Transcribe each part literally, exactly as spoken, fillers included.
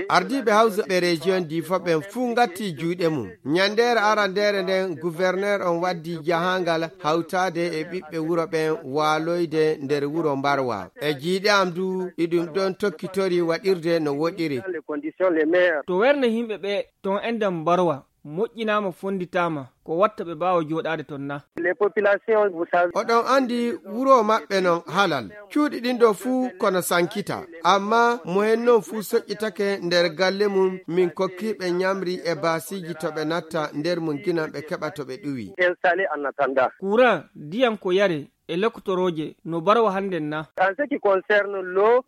Ardiiɓe hawsuɓe rejiyon Difa ɓen fuu ngatti juuɗe mum. Ñanndeere arandeere nden, guwerneer on waddi jahaangal hawtaade e ɓiɓɓe wuro ɓen waaloyde nder wuro Mbarwa. E jiiɗe am du, iɗum ɗon tokkitori waɗirde no woɗiri. To werne yimɓe ɓe ton e nder Mbarwa moƴƴinaama, fonnditaama, ko watta ɓe mbaawa jooɗaade ton na? Oɗon anndi wuro maɓɓe non halal. Cuuɗi ɗin ɗo fuu kono sankita. Amma mo hen non fuu soƴƴitake nder galle mum, min kokkiiɓe ñamri e baasiiji to ɓe natta nder mum ginan ɓe keɓa to ɓe ɗuwi. Kuran, ndiyan ko yare e loktorooje no Mbarwa hannden na?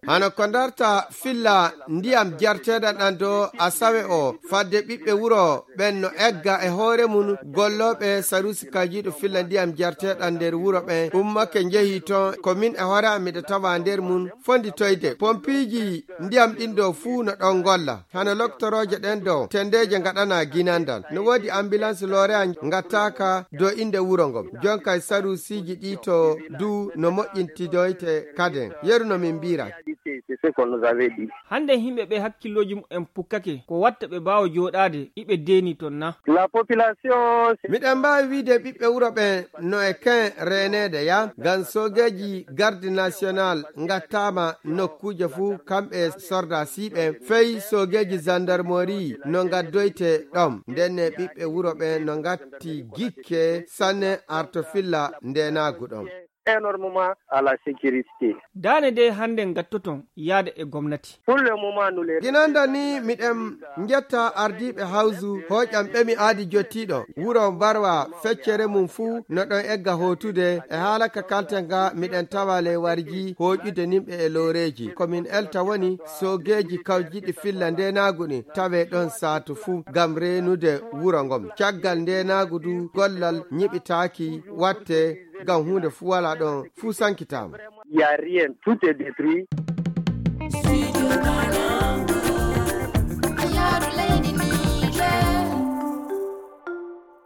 Hano ko ndarta filla ndiyam jarteeɗam ɗan do Asawe o, fadde ɓiɓɓe wuro ɓen no egga e hoore mum, gollooɓe sarusi kajiiɗo filla ndiyam jarteeɗam nder wuro ɓen ummake njehi ton, ko min e hoore am miɗo tawa nder mum fonditoyde pompiiji ndiyam ɗin ɗo fuu no ɗon golla. Hano loktorooje ɗen ɗo tenndeeje ngaɗanaa ginandal. No woodi ambilans looreya ngattaaka dow innde wuro ngon. Jonka e sarusiiji ɗi to du no moƴƴintidoyte kaden. Yeru no min mbiira. Hannden yimɓe ɓe hakkillooji mumen pukkake, ko watta ɓe mbaawa jooɗaade iɓe deenii ton na? Miɗen mbaawi wiide ɓiɓɓe wuro ɓen no e ken reeneede ya, ngam soogeeji garde national ngattaama nokkuuje fuu, kamɓe e sordaasiiɓe, fey soogeeji zandarmori no ngaddoyte ɗon. Ndenne ɓiɓɓe wuro ɓen no ngatti gikke sanne arto filla ndeenaagu ɗon. Daane dey hannden ngattoton yaade e gomnati. Ginanda ni miɗen njetta ardiiɓe hawsu hooƴam ɓe mi aadi jottiiɗo wuro Mbarwa, feccere mum fuu no ɗon egga hootude. E haala ka kalten ga miɗen tawa ley warji hooƴude nimɓe e looreeji. Ko min elta woni soogeeji kawjiɗi filla ndeenaagu ɗin tawe ɗon saatu fuu ngam reenude wuro ngon. Caggal ndeenaagu du gollal ñiɓitaaki watte ngam huunde fuu walaa ɗon, fuu sankitaama. Tout est détruit.